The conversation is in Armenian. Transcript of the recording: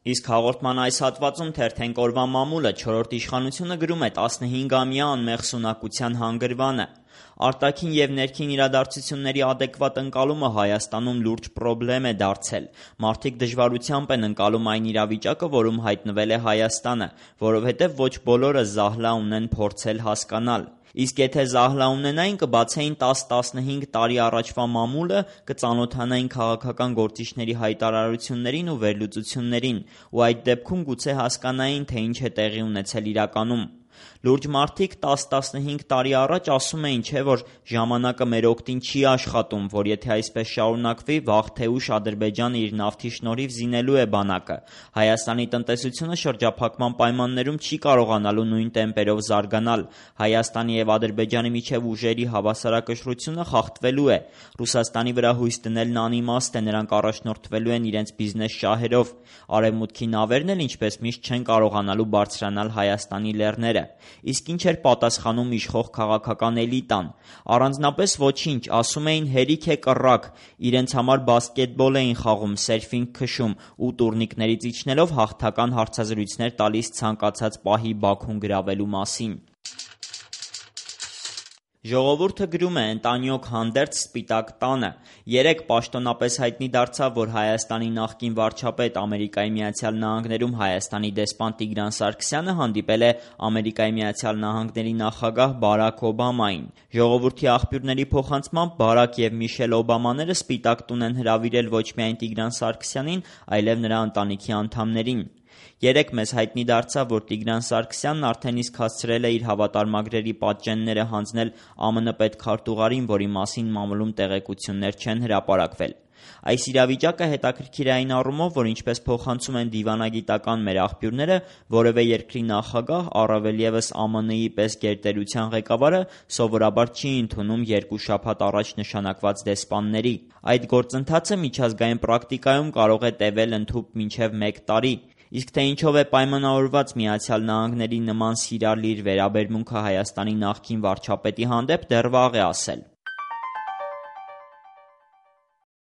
Իսկ հաղորդման այս հատվածում թերթենք օրվա մամուլը 4-րդ իշխանությունը գրում է 15-ամյա անմեղ սունակության հանգրվանը։ Արտաքին և ներքին իրադարձությունների ադեկվատ ընկալումը Հայաստանում լուրջ պրոբլեմ է դարձել։ Մարդիկ դժվարությամբ են ընկալում այն իրավիճակը, որում հայտնվել է Հայաստանը, որովհետև ոչ բոլորը զահլա ունեն փորձել հասկանալ։ Իսկ եթե զահլա ունենային, կբացեին 10-15 տարի առաջվա մամուլը, կծանոթանային քաղաքական գործիչների հայտարարություններին ու վերլուծություններին, ու այդ դեպքում գուցե հասկանային, թե ինչ է տեղի ունեցել իրականում։ Լուրջ մարդիկ 10-15 տարի առաջ ասում էին, չէ, որ ժամանակը մեր օգտին չի աշխատում, որ եթե այսպես շարունակվի, վաղ թե ուշ Ադրբեջանը իր նավթի շնորհիվ զինելու է բանակը։ Հայաստանի տնտեսությունը շրջափակման պայմաններում չի կարողանալու նույն տեմպերով զարգանալ։ Հայաստանի և Ադրբեջանի միջև ուժերի հավասարակշռությունը խախտվելու է։ Ռուսաստանի վրա հույս դնելն անիմաստ է, նրանք առաջնորդվելու են իրենց բիզնես շահերով։ Արևմուտքի նավերն էլ ինչպես միշտ չեն կարողանալու բարձրանալ Հայաստանի լեռները։ Իսկ ինչ էր պատասխանում իշխող քաղաքական էլիտան։ Առանձնապես ոչինչ, ասում էին հերիք է կռակ, իրենց համար բասկետբոլ էին խաղում, սերֆինգ քշում ու տուրնիկներից իջնելով հաղթական հարցազրույցներ տալիս ցանկացած պահի Բաքուն գրավելու մասին։ Ժողովուրդը գրում է ընտանյոք հանդերձ Սպիտակ տանը։ Երեկ պաշտոնապես հայտնի դարձավ, որ Հայաստանի նախկին վարչապետ Ամերիկայի Միացյալ Նահանգներում Հայաստանի դեսպան Տիգրան Սարգսյանը հանդիպել է Ամերիկայի Միացյալ Նահանգների նախագահ Բարաք Օբամային։ Ժողովրդի աղբյուրների փոխանցմամբ Բարաք և Միշել Օբամաները Սպիտակ տուն են հրավիրել ոչ միայն Տիգրան Սարգսյանին, այլև նրա ընտանիքի անդամներին։ Երեկ մեզ հայտնի դարձավ, որ Տիգրան Սարգսյանն արդեն իսկ հասցրել է իր հավատարմագրերի պատճենները հանձնել ԱՄՆ պետքարտուղարին, որի մասին մամուլում տեղեկություններ չեն հրապարակվել։ Այս իրավիճակը հետաքրքիր է այն առումով, որ ինչպես փոխանցում են դիվանագիտական մեր աղբյուրները, որևէ երկրի նախագահ, առավել ևս ԱՄՆ-ի պես գերտերության ղեկավարը սովորաբար չի ընդունում 2 շաբաթ առաջ նշանակված դեսպանների։ Այդ գործընթացը միջազգային պրակտիկայում կարող է տևել ընդհուպ մինչև 1 տարի։ Իսկ թե ինչով է պայմանավորված Միացյալ Նահանգների նման սիրալիր վերաբերմունքը Հայաստանի նախկին վարչապետի հանդեպ, դեռ վաղ է ասել։